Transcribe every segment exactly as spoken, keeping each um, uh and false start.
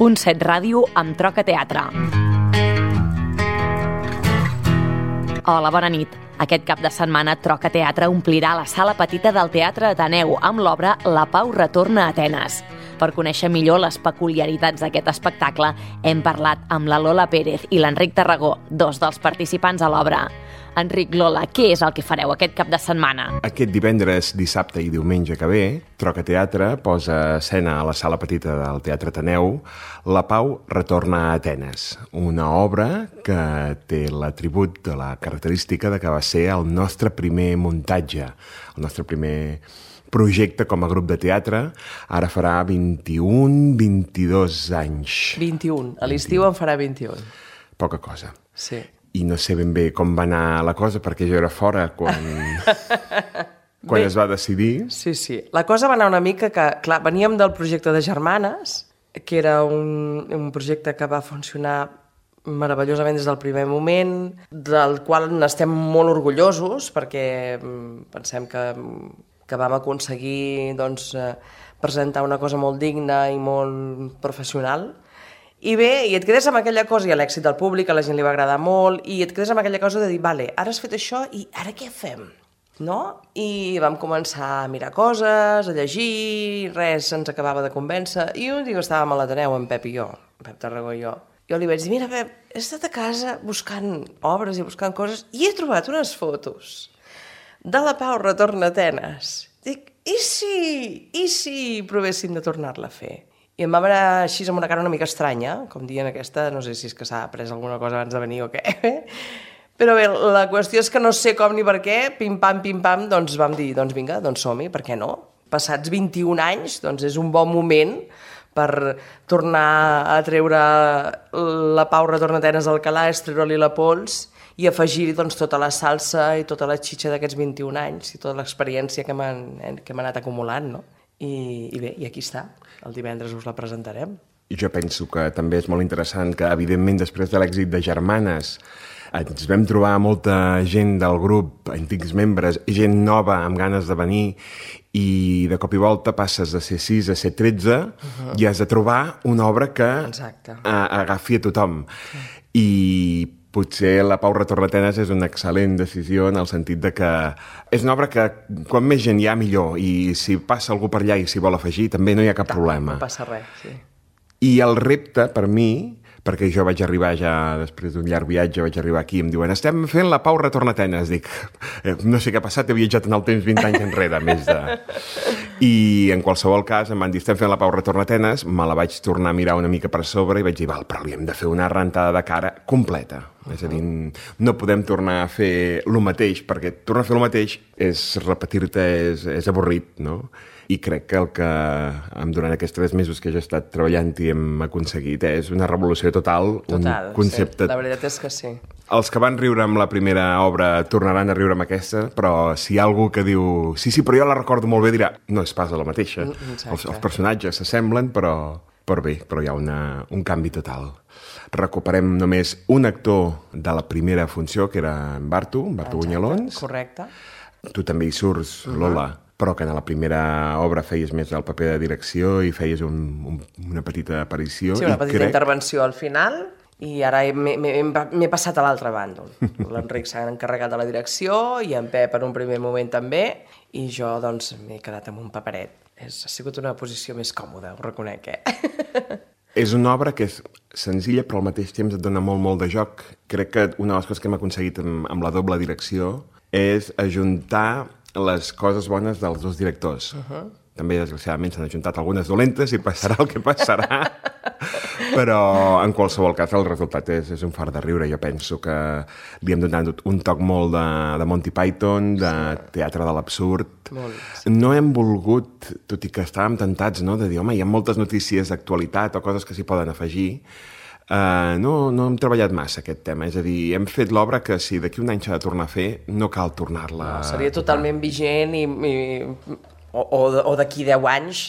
punt set Ràdio amb Troca Teatre. Hola, bona nit. Aquest cap de setmana Troca Teatre omplirà la sala petita del Teatre Ateneu amb l'obra La Pau retorna a Atenes. Per conèixer millor les peculiaritats d'aquest espectacle, hem parlat amb la Lola Pérez i l'Enric Tarragó, dos dels participants a l'obra. Enric, Lola, què és el que fareu aquest cap de setmana? Aquest divendres, dissabte i diumenge que ve, Troca Teatre posa a escena a la sala petita del Teatre Ateneu La Pau retorna a Atenes, una obra que té l'atribut de la característica de que va ser el nostre primer muntatge, el nostre primer projecte com a grup de teatre. Ara farà vint-i-un, vint-i-dos anys. vint-i-un. A l'estiu en farà vint-i-un. Poca cosa. Sí. I no sé ben bé com va anar la cosa, perquè jo era fora quan, quan es va decidir. Sí, sí. La cosa va anar una mica que, clar, veníem del projecte de Germanes, que era un, un projecte que va funcionar meravellosament des del primer moment, del qual n'estem molt orgullosos, perquè pensem que, que vam aconseguir doncs, presentar una cosa molt digna i molt professional. I bé, i et quedes amb aquella cosa, i l'èxit del públic, a la gent li va agradar molt, i et quedes amb aquella cosa de dir, vale, ara has fet això, i ara què fem? No? I vam començar a mirar coses, a llegir, res ens acabava de convèncer, i un dia estàvem a l'Ateneu, en Pep i jo, en Pep Tarragó i jo. Jo li vaig dir, mira, Pep, he estat a casa buscant obres i buscant coses, i he trobat unes fotos de La Pau retorna a Atenes. Dic, i si, i si provéssim de tornar-la a fer? I em va anar així amb una cara una mica estranya, com dient aquesta, no sé si és que s'ha après alguna cosa abans de venir o què. Però bé, la qüestió és que no sé com ni per què, pim-pam, pim-pam, doncs vam dir, doncs vinga, doncs som-hi, per què no? Passats vint-i-un anys, doncs és un bon moment per tornar a treure La Pau retorna a Atenes al calaix, treure-li la pols i afegir-hi doncs, tota la salsa i tota la xitxa d'aquests vint-i-un anys i tota l'experiència que hem, que hem anat acumulant, no? I, i bé, i aquí està. El divendres us la presentarem. I jo penso que també és molt interessant que, evidentment, després de l'èxit de Germanes, ens vam trobar molta gent del grup, antics membres, gent nova amb ganes de venir, i de cop i volta passes de ser sis a ser tretze uh-huh. i has de trobar una obra que Exacte. agafi a tothom. Sí. I potser La Pau retorna a Atenes és una excel·lent decisió en el sentit de que és una obra que quan més gent hi ha millor, i si passa algú per allà i s'hi vol afegir també no hi ha cap no, problema. No passa res, sí. I el repte per mi, perquè jo vaig arribar ja després d'un llarg viatge, vaig arribar aquí i em diuen estem fent La Pau retorna a Atenes. Dic, no sé què ha passat, he viatjat en el temps vint anys enrere, més de... I en qualsevol cas em van dir estem fent La Pau retorna a Atenes, me la vaig tornar a mirar una mica per sobre i vaig dir, val, però li hem de fer una rentada de cara completa. Uh-huh. És a dir, no podem tornar a fer el mateix, perquè tornar a fer el mateix és repetir-te, és, és avorrit, no? I crec que el que durant aquests tres mesos que jo he estat treballant i hem aconseguit és una revolució total, total un concepte... Sí. La veritat és que sí. Els que van riure amb la primera obra tornaran a riure amb aquesta, però si hi ha algú que diu sí, sí, però jo la recordo molt bé, dirà no és pas la mateixa. Els, els personatges s'assemblen, però, però bé, però hi ha una, un canvi total. Recuperem només un actor de la primera funció, que era en Bartu, Bartu Buñalons. Correcte. Tu també hi surts, uh-huh. Lola, però que en la primera obra feies més el paper de direcció i feies un, un, una petita aparició. Sí, una i petita crec... intervenció al final, i ara m'he passat a l'altre bàndol. L'Enric s'ha encarregat de la direcció i en Pep en un primer moment també, i jo doncs m'he quedat amb un paperet. És, ha sigut una posició més còmoda, ho reconec, eh? És una obra que és senzilla però al mateix temps et dona molt, molt de joc. Crec que una de les coses que hem aconseguit amb, amb la doble direcció és ajuntar les coses bones dels dos directors. Uh-huh. També, desgraciadament, s'han ajuntat algunes dolentes i passarà el que passarà. Però, en qualsevol cas, el resultat és, és un fart de riure. Jo penso que li hem donat un toc molt de, de Monty Python, de teatre de l'absurd. Molt. No hem volgut, tot i que estàvem tentats, no?, de dir, home, hi ha moltes notícies d'actualitat o coses que s'hi poden afegir. Uh, no, no hem treballat massa aquest tema, és a dir, hem fet l'obra que si d'aquí un any s'ha de tornar a fer, no cal tornar-la... No, seria totalment vigent i, i, o, o d'aquí deu anys,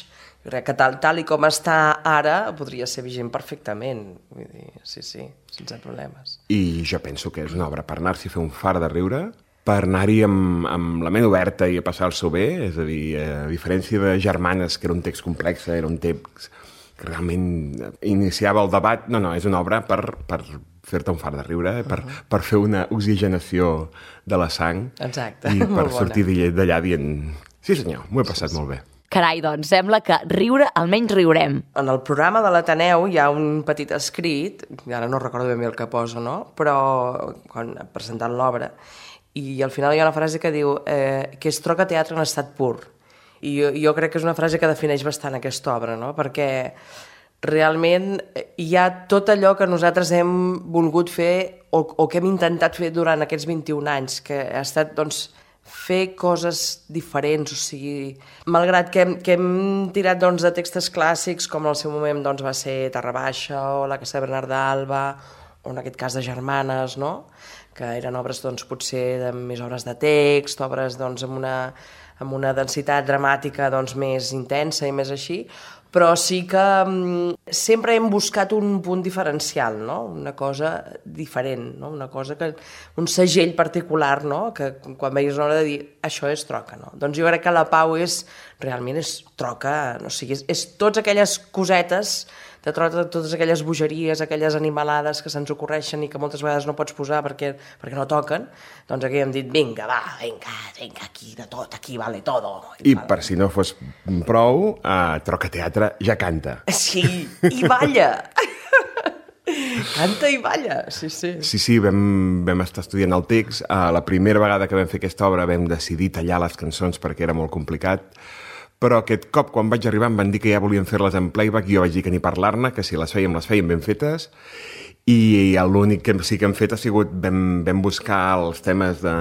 crec que tal, tal i com està ara podria ser vigent perfectament. Vull dir, sí, sí, sense problemes. I jo penso que és una obra per anar-s'hi a fer un far de riure, per anar-hi amb, amb la ment oberta i a passar-s'ho bé, és a dir, a diferència de Germanes, que era un text complex, era un text que realment iniciava el debat. No, no, és una obra per, per fer-te un fart de riure, per, uh-huh. per fer una oxigenació de la sang. Exacte, i per molt sortir bona. d'allà dient sí senyor, m'ho he passat sí, sí. molt bé. Carai, doncs, sembla que riure almenys riurem. En el programa de l'Ateneu hi ha un petit escrit, ara no recordo ben bé el que posa, no? Però quan presentant l'obra, i al final hi ha una frase que diu eh, que és troca teatre en estat pur. I jo, jo crec que és una frase que defineix bastant aquesta obra, no? Perquè realment hi ha tot allò que nosaltres hem volgut fer o, o que hem intentat fer durant aquests vint-i-un anys, que ha estat, doncs, fer coses diferents, o sigui, malgrat que hem, que hem tirat doncs, de textos clàssics, com en el seu moment doncs, va ser Terra Baixa o La Casa de Bernat d'Alba, o en aquest cas de Germanes, no? Que eren obres doncs, potser de més obres de text, obres doncs, amb, una, amb una densitat dramàtica doncs, més intensa i més així, però sí que um, sempre hem buscat un punt diferencial, no? Una cosa diferent, no? Una cosa que, un segell particular, no? Que quan veies una hora de dir això és troca, no? Doncs jo crec que la Pau és, realment és troca, no sigui, és, és totes aquelles cosetes, de troca, totes aquelles bogeries, aquelles animalades que se'ns ocorreixen i que moltes vegades no pots posar perquè, perquè no toquen, doncs aquí hem dit, vinga, va, vinga, vinga, aquí de tot, aquí vale todo. I vale. Per si no fos prou, uh, Troca Teatre ja canta. Sí, i balla! Canta i balla, sí, sí. Sí, sí, vam, vam estar estudiant el text. Uh, la primera vegada que vam fer aquesta obra vam decidir tallar les cançons perquè era molt complicat, però aquest cop, quan vaig arribar, em van dir que ja volien fer-les en playback i jo vaig dir que ni parlar-ne, que si les fèiem, les fèiem ben fetes, i l'únic que sí que hem fet ha sigut, vam, vam buscar els temes de,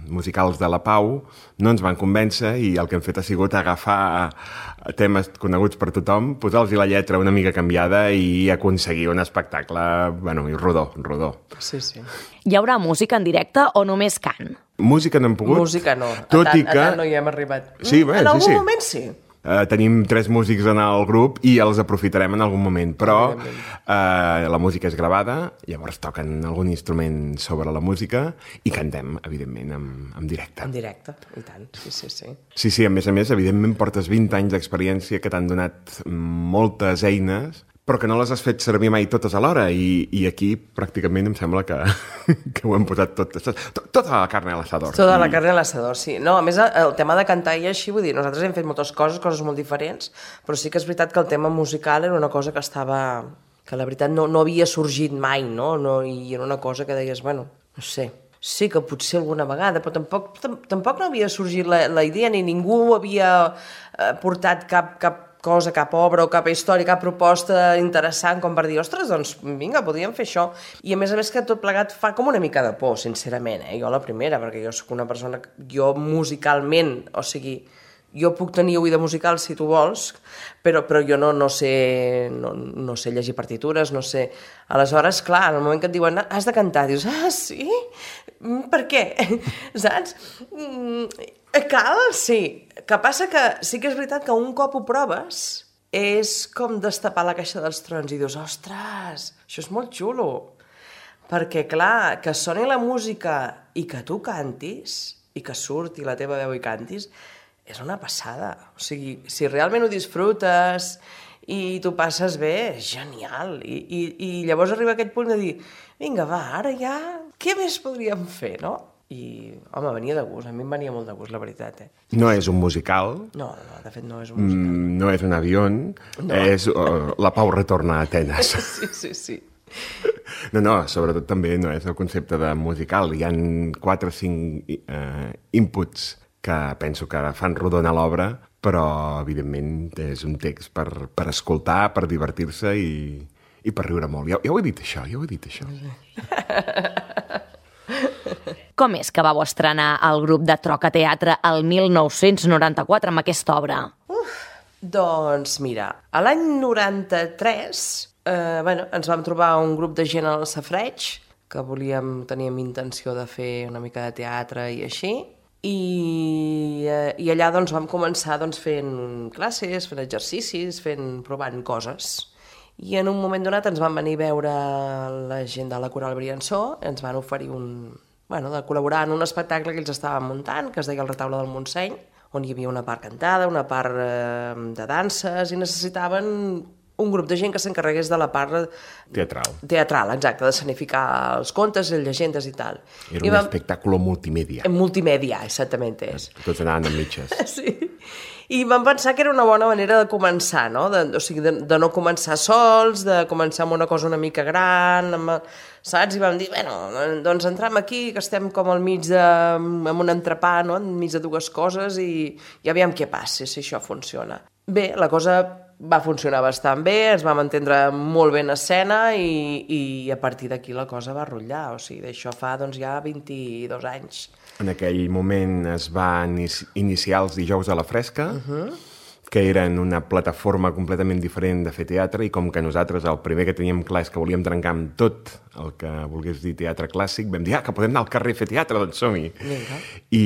musicals de la Pau, no ens van convèncer, i el que hem fet ha sigut agafar temes coneguts per tothom, posar-los la lletra una mica canviada i aconseguir un espectacle, bueno, i rodó, rodó. Sí, sí. Hi haurà música en directe o només cant? Música no hem pogut. Música no, tot a, tant, i que... a tant no hi hem arribat. Sí, bé, en sí, algun sí. moment sí. Uh, tenim tres músics en el grup i els aprofitarem en algun moment, però uh, la música és gravada, llavors toquen algun instrument sobre la música i cantem, evidentment, en, en directe. En directe, i tant, sí, sí, sí. Sí, sí, a més a més, evidentment portes vint anys d'experiència que t'han donat moltes eines, però que no les has fet servir mai totes alhora, i, i aquí pràcticament em sembla que, que ho hem posat tot, tot, tota la carn a l'assador. Tota la carn a l'assador, sí. No, a més, el tema de cantar i així, vull dir, nosaltres hem fet moltes coses, coses molt diferents, però sí que és veritat que el tema musical era una cosa que estava... que la veritat no, no havia sorgit mai, no? no? I era una cosa que deies, bueno, no sé, sí que potser alguna vegada, però tampoc, tampoc no havia sorgit la, la idea, ni ningú havia eh, portat cap... cap cosa, cap obra o cap història, cap proposta interessant com per dir, ostres, doncs vinga, podríem fer això. I a més a més que tot plegat fa com una mica de por, sincerament, eh? Jo la primera, perquè jo sóc una persona, jo musicalment, o sigui, jo puc tenir oïda musical si tu vols, però, però jo no, no, sé, no, no sé llegir partitures, no sé... Aleshores, clar, en el moment que et diuen has de cantar, dius, ah, sí? Per què? Saps? Cal? Sí. Que passa que sí que és veritat que un cop ho proves és com destapar la caixa dels trons i dius, ostres, això és molt xulo. Perquè, clar, que soni la música i que tu cantis, i que surti la teva veu i cantis, és una passada. O sigui, si realment ho disfrutes i tu passes bé, és genial. I, i, i llavors arriba aquest punt de dir, vinga, va, ara ja, què més podríem fer, no? I, home, venia de gust, a mi em venia molt de gust, la veritat, eh? No és un musical. No, no, de fet no és un musical. Mm, no és un avió, no. És uh, La Pau retorna a Atenes. Sí, sí, sí. No, no, sobretot també no és el concepte de musical. Hi han quatre o cinc uh, inputs que penso que fan rodona l'obra, però, evidentment, és un text per, per escoltar, per divertir-se i, i per riure molt. Ja, ja ho he dit, això, ja ho he dit, això. Com és que vau estrenar el grup de Troca Teatre el mil nou-cents noranta-quatre amb aquesta obra? Uf, doncs mira, a l'any noranta-tres eh, bueno, ens vam trobar un grup de gent al Safareig que volíem, teníem intenció de fer una mica de teatre i així, i, eh, i allà doncs, vam començar doncs, fent classes, fent exercicis, fent, provant coses. I en un moment donat ens van venir a veure la gent de la Coral Briançó, ens van oferir un... bueno, de col·laborar en un espectacle que ells estaven muntant, que es deia El Retaule del Montseny, on hi havia una part cantada, una part eh, de danses, i necessitaven un grup de gent que s'encarregués de la part Teatral. teatral, exacte, d'escenificar els contes, les llegendes i tal. Era I un vam... espectáculo multimèdia. En multimèdia, exactament és. Tots anaven amb mitges. Sí. I vam pensar que era una bona manera de començar, no? De, o sigui, de, de no començar sols, de començar amb una cosa una mica gran, amb, saps? I vam dir, bueno, doncs entrem aquí, que estem com al mig de... amb un entrepà, no? Enmig de dues coses i, i aviam què passa, si això funciona. Bé, la cosa va funcionar bastant bé, ens vam entendre molt bé en escena i, i a partir d'aquí la cosa va rotllar. O sigui, d'això fa doncs, ja vint-i-dos anys. En aquell moment es va iniciar els dijous a la fresca, Uh-huh. que eren una plataforma completament diferent de fer teatre, i com que nosaltres el primer que teníem clar és que volíem trencar amb tot el que volgués dir teatre clàssic, vam dir, ah, que podem anar al carrer a fer teatre, doncs som-hi. I,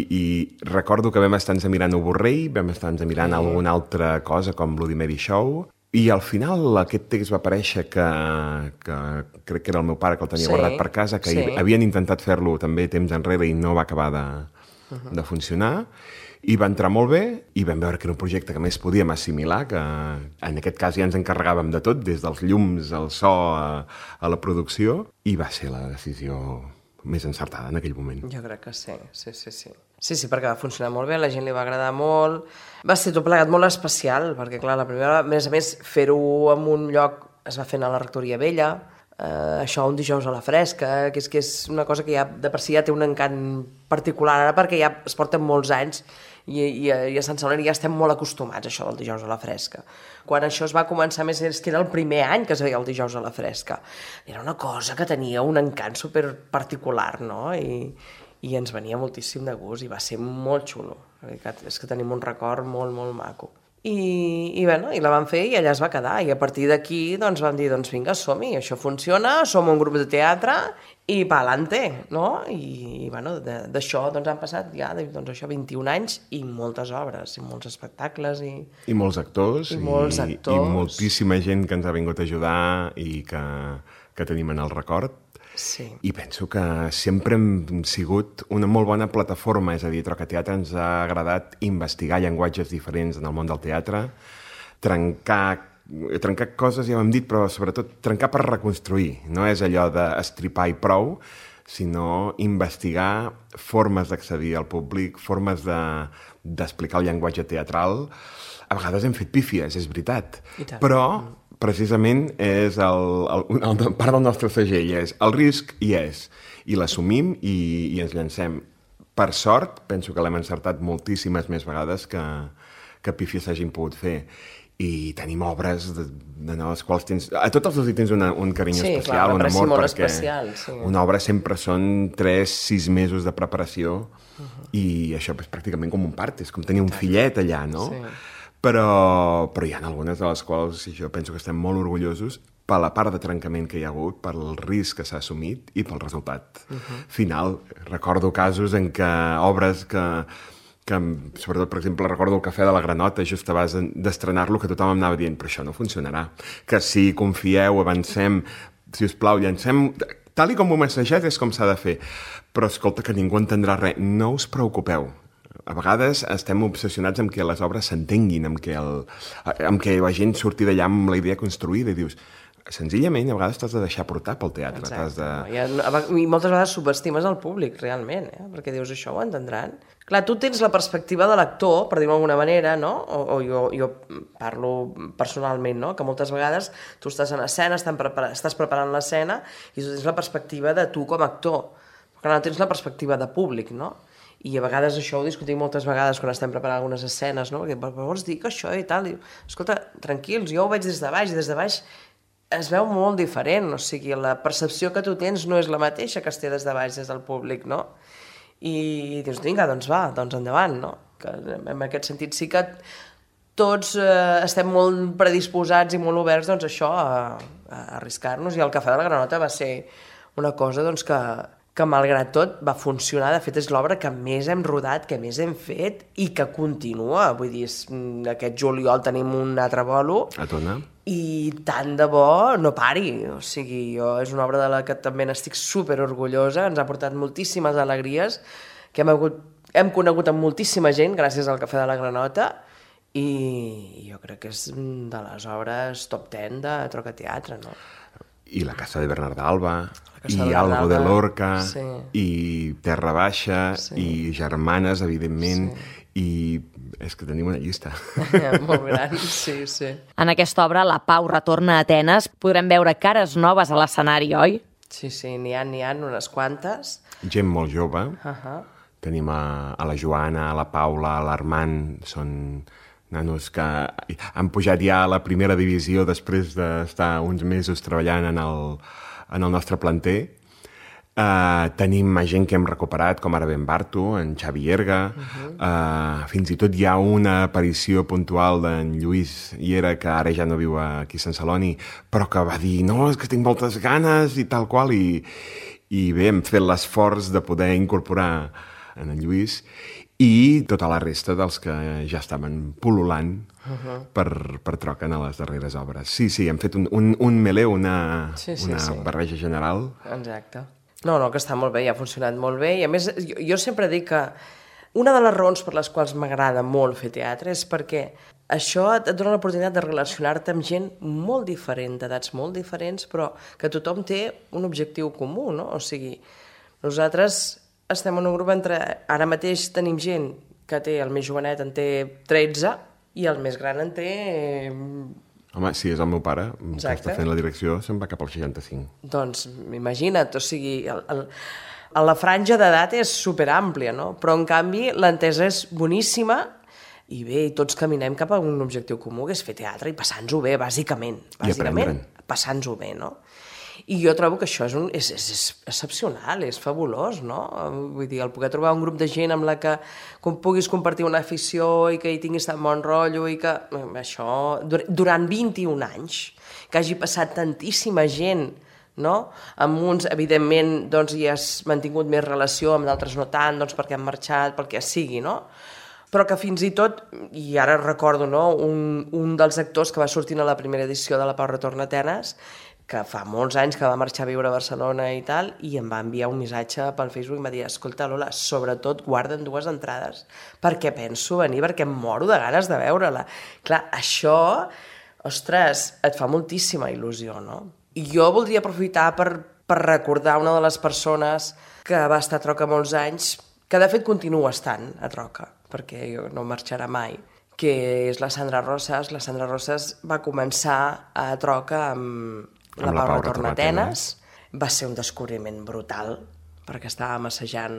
I recordo que vam estar-nos mirant Oborrell, vam estar-nos mirant mm. alguna altra cosa com Bloody Mary Show, i al final aquest text va aparèixer que, que crec que era el meu pare que el tenia sí, guardat per casa, que sí. havien intentat fer-lo també temps enrere i no va acabar de, uh-huh. de funcionar. I va entrar molt bé i vam veure que era un projecte que més podíem assimilar, que en aquest cas ja ens encarregàvem de tot, des dels llums, al so, a, a la producció, i va ser la decisió més encertada en aquell moment. Jo crec que sí, sí, sí, sí. Sí, sí, perquè va funcionar molt bé, a la gent li va agradar molt. Va ser tot plegat molt especial, perquè clar, la primera, a més a més, fer-ho en un lloc, es va fer a la Rectoria Vella, Uh, això un dijous a la fresca, que és, que és una cosa que ja de per si ja té un encant particular ara perquè ja es porten molts anys i, i, i a Sant Celoni ja estem molt acostumats a això del dijous a la fresca. Quan això es va començar, més és que era el primer any que es veia el dijous a la fresca. Era una cosa que tenia un encant super particular, no? I, i ens venia moltíssim de gust i va ser molt xulo. La veritat és que tenim un record molt, molt maco. I, i, bueno, i la vam fer i allà es va quedar, i a partir d'aquí doncs, vam dir, doncs vinga, som-hi, això funciona, som un grup de teatre i pa'lante, no? I, i bueno, d'això doncs, han passat ja doncs, això, vint-i-un anys i moltes obres, i molts espectacles. I, I molts actors, i, molts actors. I, i moltíssima gent que ens ha vingut a ajudar i que, que tenim en el record. Sí. I penso que sempre hem sigut una molt bona plataforma, és a dir, Troca Teatre ens ha agradat investigar llenguatges diferents en el món del teatre, trencar, trencar coses, ja ho hem dit, però sobretot trencar per reconstruir. No és allò d'estripar i prou, sinó investigar formes d'accedir al públic, formes de, d'explicar el llenguatge teatral. A vegades hem fet pífies, és veritat, però precisament és el, el, el, el part del nostre segell, és el risc hi és, i l'assumim i, i ens llancem. Per sort, penso que l'hem encertat moltíssimes més vegades que, que pífies s'hagin pogut fer. I tenim obres de, de les quals tens... A tots els hi tens una, un carinyo sí, especial, clar, un amor, molt perquè especial, sí. Una obra sempre són tres, sis mesos de preparació, uh-huh. i això és pràcticament com un part, és com tenir un fillet allà, no? Sí. Però, però hi ha algunes de les quals jo penso que estem molt orgullosos per la part de trencament que hi ha hagut, per el risc que s'ha assumit i pel resultat uh-huh. final. Recordo casos en què obres que, que, sobretot, per exemple, recordo el Cafè de la Granota, just abans d'estrenar-lo, que tothom em anava dient, però això no funcionarà. Que sí, confieu, avancem, si us plau, llancem... Tal i com ho hem assajat és com s'ha de fer. Però, escolta, que ningú entendrà res. No us preocupeu. A vegades estem obsessionats amb que les obres s'entenguin, amb que, el, amb que la gent surti d'allà amb la idea construïda i dius, senzillament, a vegades t'has de deixar portar pel teatre. T'has de... I, I moltes vegades subestimes el públic, realment, eh? Perquè dius, això ho entendran. Clar, tu tens la perspectiva de l'actor, per dir-ho d'alguna manera, no? O, o jo, jo parlo personalment, no? Que moltes vegades tu estàs en escena, prepara, estàs preparant l'escena i tu tens la perspectiva de tu com a actor, però no tens la perspectiva de públic, no? I a vegades això ho discutim moltes vegades quan estem preparant algunes escenes, no? Perquè vols dir que això i tal, i, escolta, tranquils, jo ho veig des de baix, i des de baix es veu molt diferent, o sigui, la percepció que tu tens no és la mateixa que es té des de baix, des del públic, no? I dius, vinga, doncs va, doncs endavant, no? Que en aquest sentit sí que tots eh, estem molt predisposats i molt oberts, doncs, això, a, a arriscar-nos, i el Cafè de la Granota va ser una cosa, doncs, que que malgrat tot va funcionar, de fet és l'obra que més hem rodat, que més hem fet i que continua, vull dir, aquest juliol tenim un altre bolo a Tona i tant de bo no pari, o sigui, jo és una obra de la que també n'estic super orgullosa, ens ha portat moltíssimes alegries, que hem, hagut, hem conegut amb moltíssima gent gràcies al Cafè de la Granota i jo crec que és de les obres top deu de Troca Teatre, no? I la Casa de Bernarda Alba, i de Algo de Lorca, sí. i Terra Baixa, sí. i Germanes, evidentment, sí. i és que tenim una llista. Molt gran, sí, sí. En aquesta obra, La Pau retorna a Atenes, podrem veure cares noves a l'escenari, oi? Sí, sí, n'hi ha, n'hi ha unes quantes. Gent molt jove. Uh-huh. Tenim a, a la Joana, a la Paula, a l'Armand, són nanos que han pujat ja a la primera divisió després d'estar uns mesos treballant en el, en el nostre planter. Uh, tenim gent que hem recuperat, com ara Ben Bartu, en Xavi Erga. Uh-huh. uh, fins i tot hi ha una aparició puntual d'en Lluís Iera, que ara ja no viu aquí a Sant Celoni, però que va dir, no, és que tinc moltes ganes i tal qual, i, i bé, hem fet l'esforç de poder incorporar en en Lluís, i tota la resta dels que ja estaven pul·lulant uh-huh. per, per Troca en les darreres obres. Sí, sí, hem fet un, un, un melé, una, sí, sí, una sí. barreja general. Exacte. No, no, que està molt bé, i ha funcionat molt bé, i a més, jo, jo sempre dic que una de les raons per les quals m'agrada molt fer teatre és perquè això et dona l'oportunitat de relacionar-te amb gent molt diferent, d'edats molt diferents, però que tothom té un objectiu comú, no? O sigui, nosaltres estem en un grup entre... Ara mateix tenim gent que té, el més jovenet en té tretze i el més gran en té... Home, si és el meu pare, Exacte. que està fent la direcció, se'n va cap al seixanta-cinc. Doncs imagina't, o sigui, el, el, la franja d'edat és superàmplia, no? Però en canvi l'entesa és boníssima i bé, i tots caminem cap a un objectiu comú, que és fer teatre i passar-nos-ho bé, bàsicament. Bàsicament, passar-nos-ho bé, no? I jo trobo que això és, un, és, és, és excepcional, és fabulós, no? Vull dir, el poder trobar un grup de gent amb la que com puguis compartir una afició i que hi tinguis tan bon rotllo i que això, durant vint-i-un anys, que hagi passat tantíssima gent, no? Amb uns, evidentment, doncs, hi has mantingut més relació, amb d'altres no tant, doncs, perquè han marxat, pel que sigui, no? Però que fins i tot, i ara recordo, no? un, un dels actors que va sortir a la primera edició de La Pau retorna a Atenes, que fa molts anys que va marxar a viure a Barcelona i tal, i em va enviar un missatge pel Facebook i em va dir, escolta, Lola, sobretot guarda'n dues entrades, perquè penso venir, perquè em moro de ganes de veure-la. Clar, això, ostres, et fa moltíssima il·lusió, no? I jo voldria aprofitar per, per recordar una de les persones que va estar a Troca molts anys, que de fet continua estant a Troca, perquè no marxarà mai, que és la Sandra Rosas. La Sandra Rosas va començar a Troca amb La Pau retorna a Atenes. Va ser un descobriment brutal, perquè estàvem assajant,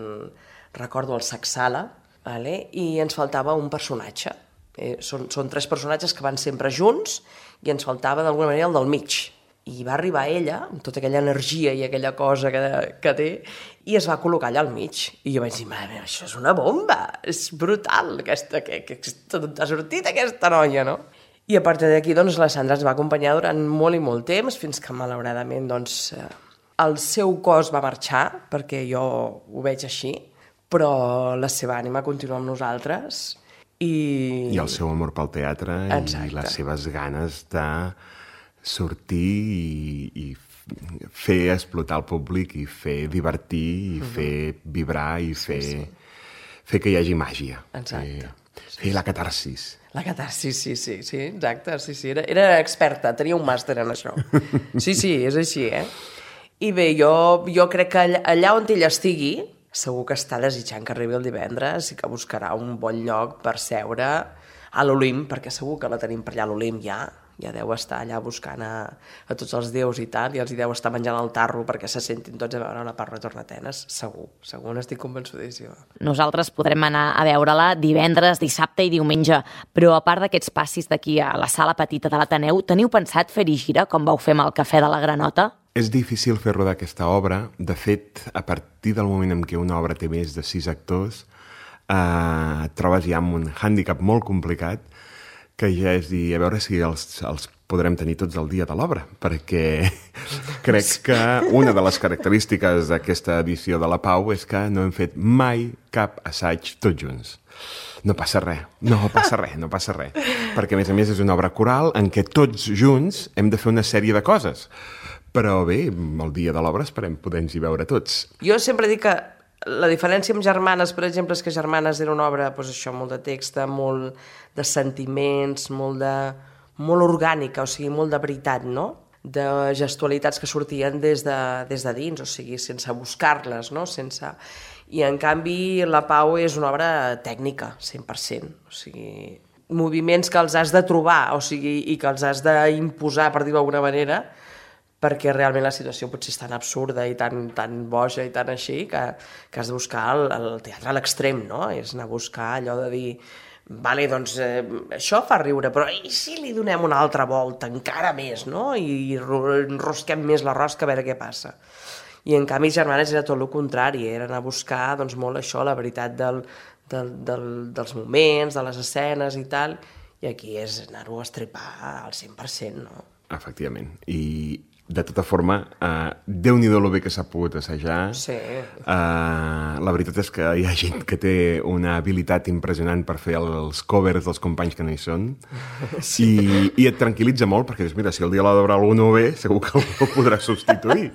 recordo, el Sacsala, vale? I ens faltava un personatge. Eh, són, són tres personatges que van sempre junts i ens faltava d'alguna manera el del mig. I va arribar ella, amb tota aquella energia i aquella cosa que, que té, i es va col·locar allà al mig. I jo vaig dir, mare meva, això és una bomba, és brutal, aquesta, que, que, que t'ha sortit aquesta noia, no? I a partir d'aquí, doncs, la Sandra ens va acompanyar durant molt i molt temps, fins que, malauradament, doncs, el seu cos va marxar, perquè jo ho veig així, però la seva ànima continua amb nosaltres. I, I el seu amor pel teatre. Exacte. I les seves ganes de sortir i, i fer explotar el públic i fer divertir i uh-huh. fer vibrar i fer, sí, sí. fer que hi hagi màgia. Exacte. Fer, fer la catarsis. La catarsis, sí, sí, sí, exacte, sí, sí, era, era experta, tenia un màster en això. Sí, sí, és així, eh? I bé, jo, jo crec que allà, allà on ella estigui, segur que està desitjant que arribi el divendres i que buscarà un bon lloc per seure a l'Olimp, perquè segur que la tenim per allà a l'Olimp ja, ja deu estar allà buscant a, a tots els déus i tal, i els hi deu estar menjant el tarro perquè se sentin tots a veure La Pau retorna a Atenes, segur, segur, n'estic convençudíssima. Nosaltres podrem anar a veure-la divendres, dissabte i diumenge, però a part d'aquests passis d'aquí a la sala petita de l'Ateneu, teniu pensat fer-hi gira, com vau fer amb el Cafè de la Granota? És difícil fer rodar aquesta obra. De fet, a partir del moment en què una obra té més de sis actors, eh, et trobes ja amb un hàndicap molt complicat, que ja és dir, a veure si els, els podrem tenir tots el dia de l'obra, perquè crec que una de les característiques d'aquesta edició de La Pau és que no hem fet mai cap assaig tots junts. No passa res, no passa res, no passa res. Perquè, a més a més, és una obra coral en què tots junts hem de fer una sèrie de coses. Però bé, el dia de l'obra esperem poder-nos hi veure tots. Jo sempre dic que La diferència amb Germanes, per exemple, és que Germanes era una obra, doncs això, molt de text, molt de sentiments, molt, de, molt orgànica, o sigui, molt de veritat, no? De gestualitats que sortien des de, des de dins, o sigui, sense buscar-les, no? Sense... I, en canvi, La Pau és una obra tècnica, cent per cent. O sigui, moviments que els has de trobar, o sigui, i que els has d'imposar, per dir-ho d'alguna manera, perquè realment la situació potser és tan absurda i tan, tan boja i tan així que, que has de buscar el, el teatre a l'extrem, no? És anar a buscar allò de dir, vale, doncs eh, això fa riure, però i si li donem una altra volta, encara més, no? I enrosquem més la rosca a veure què passa. I en canvi Germanes era tot el contrari, era anar a buscar doncs, molt això, la veritat del, del, del, dels moments, de les escenes i tal, i aquí és anar-ho a estripar al cent per cent, no? Efectivament. I de tota forma, uh, Déu-n'hi-do lo bé que s'ha pogut assajar. Sí. Uh, la veritat és que hi ha gent que té una habilitat impressionant per fer els covers dels companys que no hi són. Sí. I, i et tranquil·litza molt, perquè dius, mira, si el dia l'ha d'obrar algú no ve, segur que algú podrà substituir.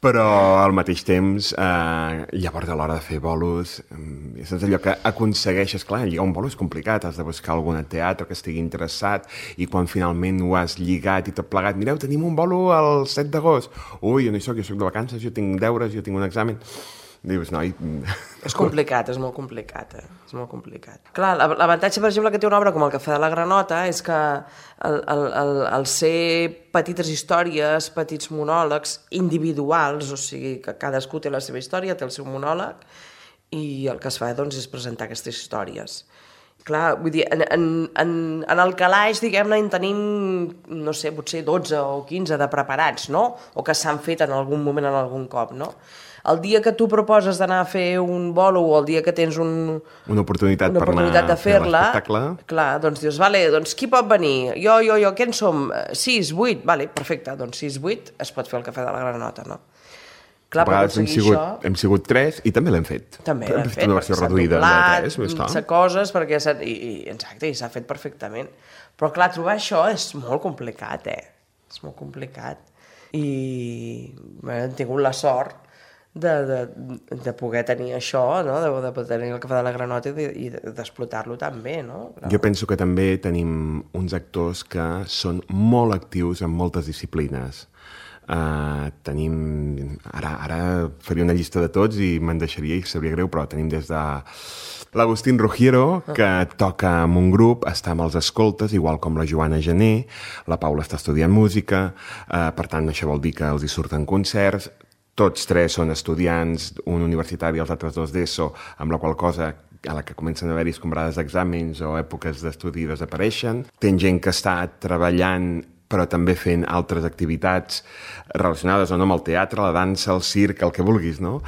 Però al mateix temps, uh, llavors a l'hora de fer bolos, um, és allò que aconsegueixes, clar, lligar un bolo és complicat, has de buscar algun teatre que estigui interessat, i quan finalment ho has lligat i tot plegat, mireu, tenim un bolo el set d'agost. Ui, jo no hi soc, jo soc de vacances, jo tinc deures, jo tinc un examen. Dius, noi... És complicat, és molt complicat, eh? És molt complicat. Clar, l'avantatge, per exemple, que té una obra com El Cafè de la Granota és que el, el, el, el ser petites històries, petits monòlegs individuals, o sigui, que cadascú té la seva història, té el seu monòleg, i el que es fa, doncs, és presentar aquestes històries. Clar, vull dir, en, en, en, en el calaix, diguem-ne, en tenim, no sé, potser dotze o quinze de preparats, no? O que s'han fet en algun moment, en algun cop, no? El dia que tu proposes d'anar a fer un bolo o el dia que tens un, una oportunitat, una per oportunitat anar de fer-la, a fer clar, doncs dius, vale, doncs qui pot venir? Jo, jo, jo, què en som? Sis, vuit? Vale, perfecte, doncs sis, vuit es pot fer el Cafè de la Granota, no? Clar, a vegades hem sigut, això... hem sigut tres i també l'hem fet. També l'hem fet, una versió reduïda de tres, més clar. S'ha coses, perquè s'ha... I, i, exacte, i s'ha fet perfectament. Però clar, trobar això és molt complicat, eh? És molt complicat. I bé, hem tingut la sort de, de, de poder tenir això, no? de, de poder tenir el Cafè de la Granota i, i d'explotar-lo tan bé, no? Però... Jo penso que també tenim uns actors que són molt actius en moltes disciplines. Uh, tenim... Ara, ara faria una llista de tots i me'n deixaria i sabria greu, però tenim des de l'Agustín Rugiero, que toca amb un grup, està amb els escoltes, igual com la Joana Gené, la Paula està estudiant música, uh, per tant, això vol dir que els hi surten concerts, tots tres són estudiants, un universitari i els altres dos d'ESO, amb la qual cosa a la que comencen a haver-hi escombrades d'exàmens o èpoques d'estudi desapareixen. Ten gent que està treballant però també fent altres activitats relacionades o no amb el teatre, la dansa, el circ, el que vulguis, no?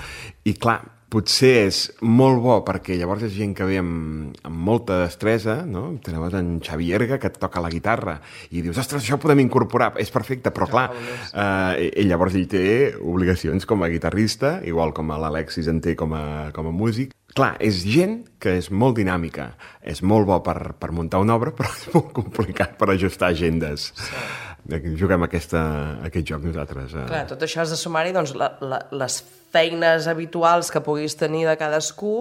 I clar, potser és molt bo perquè llavors és gent que ve amb, amb molta destresa, no? Tenim en Xavi Erga, que et toca la guitarra, i dius, ostres, això ho podem incorporar, és perfecte, però clar, eh, ell llavors ell té obligacions com a guitarrista, igual com l'Alexis en té com a, com a músic. Clar, és gent que és molt dinàmica, és molt bo per, per muntar una obra, però és molt complicat per ajustar agendes. Sí. Juguem aquesta, aquest joc nosaltres. Eh? Clar, tot això has de sumar-hi doncs, la, la, les feines habituals que puguis tenir de cadascú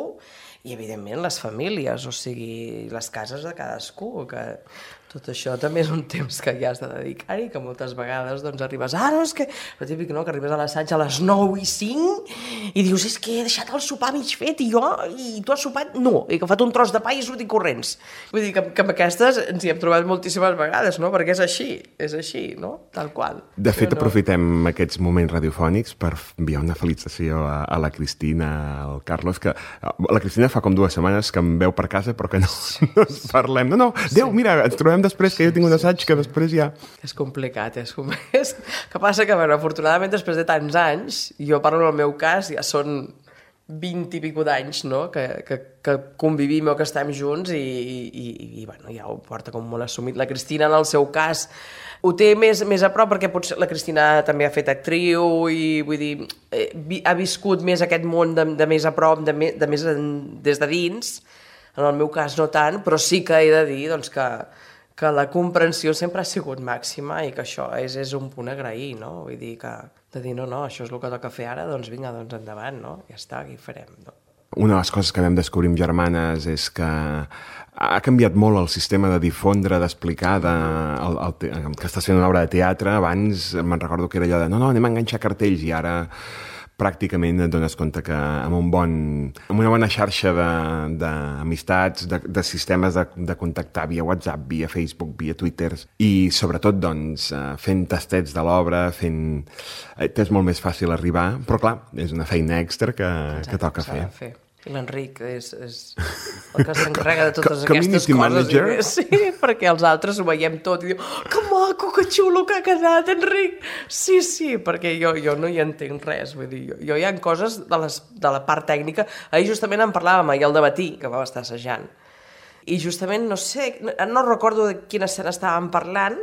i, evidentment, les famílies, o sigui, les cases de cadascú, que tot això també és un temps que ja has de dedicar-hi, que moltes vegades doncs, arribes, ah, no, és que... El típic, no?, que arribes a l'assaig a les nou i cinc i dius, és que he deixat el sopar mig fet i jo, i tu has sopat? No, he agafat un tros de pa i he sortit corrents. Vull dir que, que amb aquestes ens hi hem trobat moltíssimes vegades, no?, perquè és així, és així, no?, tal qual. De fet, no... aprofitem aquests moments radiofònics per enviar una felicitació a, a la Cristina, al Carlos, que la Cristina fa com dues setmanes que em veu per casa però que no, no ens parlem. No, no, Déu, mira, ens trobem després, que jo tinc un assaig que després ja... És complicat, és complicat. Que passa que, bueno, afortunadament, després de tants anys, jo parlo en el meu cas, ja són vint i pico d'anys, no?, que, que, que convivim o que estem junts i, i, i, bueno, ja ho porta com molt assumit. La Cristina, en el seu cas, ho té més, més a prop perquè potser la Cristina també ha fet actriu i, vull dir, eh, ha viscut més aquest món de, de més a prop, de, me, de més en, des de dins. En el meu cas no tant, però sí que he de dir doncs, que que la comprensió sempre ha sigut màxima i que això és, és un punt a agrair, no? Vull dir que, de dir, no, no, això és el que toca fer ara, doncs vinga, doncs endavant, no? Ja està, aquí farem, no? Una de les coses que vam descobrir amb Germanes és que ha canviat molt el sistema de difondre, d'explicar, de, el, el, que estàs fent una obra de teatre. Abans me'n recordo que era allò de no, no, anem a enganxar cartells, i ara pràcticament et dones compte que amb, un bon, amb una bona xarxa d'amistats, de, de, de sistemes de, de contactar via WhatsApp, via Facebook, via Twitter, i sobretot doncs, fent tastets de l'obra, fent... és molt més fàcil arribar, però clar, és una feina extra que, Exacte, que toca fer. fer. I l'Enric és, és el que s'encarrega de totes aquestes coses. Manager? I, sí, perquè els altres ho veiem tot i diu, oh, que maco, que xulo que ha quedat, Enric! Sí, sí, perquè jo, jo no hi entenc res. Vull dir, jo, jo hi ha coses de, les, de la part tècnica. Ahir justament en parlàvem, ahir al dematí, que vam estar assajant. I justament, no sé, no recordo de quina escena estàvem parlant,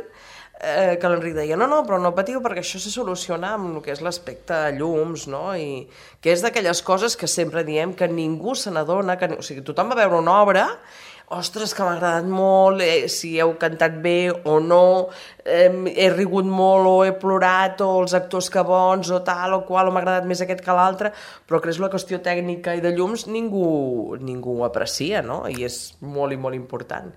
Eh, que l'Enric deia, no, no, però no patiu perquè això se soluciona amb el que és l'aspecte llums, no? I que és d'aquelles coses que sempre diem que ningú se n'adona, que, o sigui, tothom va veure una obra, ostres, que m'ha agradat molt, eh, si heu cantat bé o no, eh, he rigut molt o he plorat, o els actors que bons, o tal o qual, o m'ha agradat més aquest que l'altre, però que és la qüestió tècnica i de llums ningú, ningú ho aprecia, no? I és molt i molt important.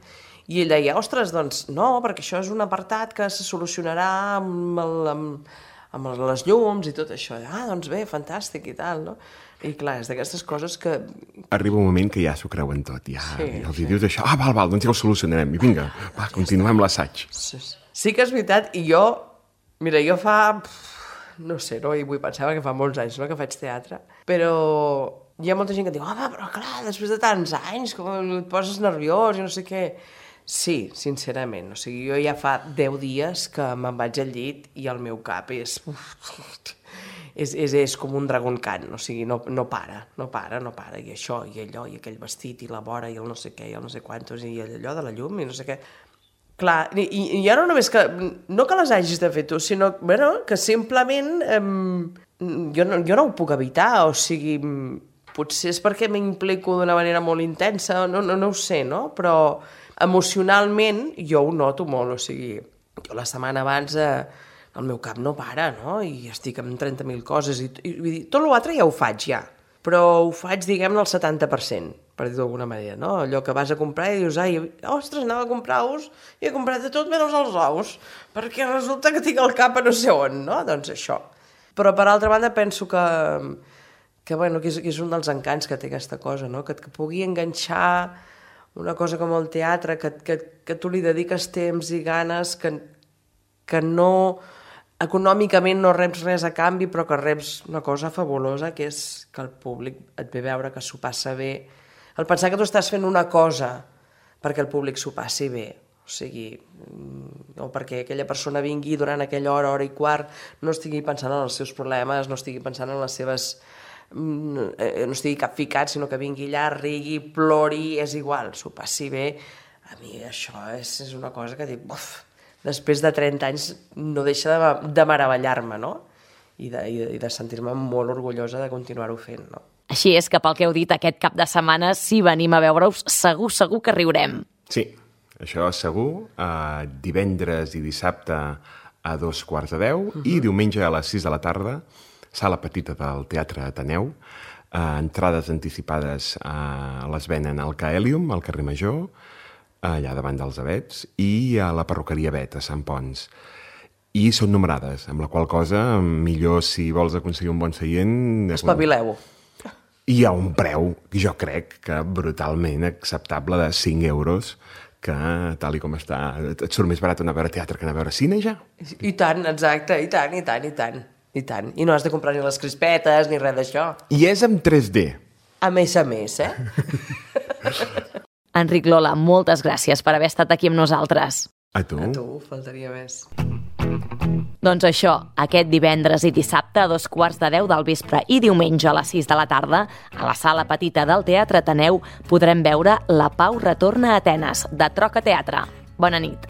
I ell deia, ostres, doncs no, perquè això és un apartat que se solucionarà amb, el, amb, amb les llums i tot això. Ah, doncs bé, fantàstic i tal, no? I clar, és d'aquestes coses que... Arriba un moment que ja s'ho creuen tot, ja, sí, ja els sí. dius això, ah, val, val, doncs ja ho solucionarem, i vinga, va, continuem l'assaig. Sí, sí que és veritat, i jo, mira, jo fa, no sé, no, i vull pensava que fa molts anys, no?, que faig teatre, però hi ha molta gent que diu, home, però clar, després de tants anys, com et poses nerviós i no sé què... Sí, sincerament, o sigui, jo ja fa deu dies que me'n vaig al llit i el meu cap és... és, és, és com un dragon cant, o sigui, no, no para, no para, no para, i això, i allò, i aquell vestit, i la vora, i el no sé què, i el no sé quantos, i allò de la llum, i no sé què... Clar, i, i ja no només que... No que les hagis de fer tu, sinó bueno, que simplement eh, jo, no, jo no ho puc evitar, o sigui, potser és perquè m'implico d'una manera molt intensa, no, no, no ho sé, no? Però... emocionalment jo ho noto molt, o sigui, jo la setmana abans eh, el meu cap no para, no? I estic amb trenta mil coses, i, i vull dir, tot l'altre ja ho faig ja, però ho faig, diguem-ne, al setanta per cent, per dir-ho d'alguna manera, no? Allò que vas a comprar i dius, ai, ostres, anava a comprar ous i he comprat de tot menys els ous, perquè resulta que tinc el cap a no sé on, no? Doncs això. Però per altra banda penso que, que, bueno, que, és, que és un dels encants que té aquesta cosa, no? Que et que pugui enganxar una cosa com el teatre, que, que, que tu li dediques temps i ganes, que, que no, econòmicament no reps res a canvi, però que reps una cosa fabulosa, que és que el públic et ve a veure que s'ho passa bé. El pensar que tu estàs fent una cosa perquè el públic s'ho passi bé, o sigui, o perquè aquella persona vingui durant aquella hora, hora i quart, no estigui pensant en els seus problemes, no estigui pensant en les seves... no estigui capficat, sinó que vingui allà, rigui, plori, és igual, s'ho passi bé. A mi això és, és una cosa que dic, uf, després de trenta anys no deixa de, de meravellar-me, no? I de, i de sentir-me molt orgullosa de continuar-ho fent, no? Així és que pel que heu dit aquest cap de setmana, si venim a veure-us, segur, segur que riurem. Sí, això segur. Uh, divendres i dissabte a dos quarts de deu uh-huh. i diumenge a les sis de la tarda, sala petita del Teatre Ateneu, eh, entrades anticipades a les venen al Caelium, al carrer Major, allà davant dels Avets, i a la perruqueria Bet, a Sant Pons. I són numerades, amb la qual cosa, millor si vols aconseguir un bon seient... Espavileu. I hi ha un preu, jo crec, que brutalment acceptable de cinc euros, que, tal i com està, et surt més barat anar a veure teatre que anar a veure cine, ja. I tant, exacte, i tant, i tant, i tant. I tant. I no has de comprar ni les crispetes ni res d'això. I és en tres D. A més a més, eh? Enric, Lola, moltes gràcies per haver estat aquí amb nosaltres. A tu. A tu, faltaria més. Doncs això, aquest divendres i dissabte a dos quarts de deu del vespre i diumenge a les sis de la tarda, a la sala petita del Teatre Ateneu podrem veure La Pau retorna a Atenes, de Troca Teatre. Bona nit.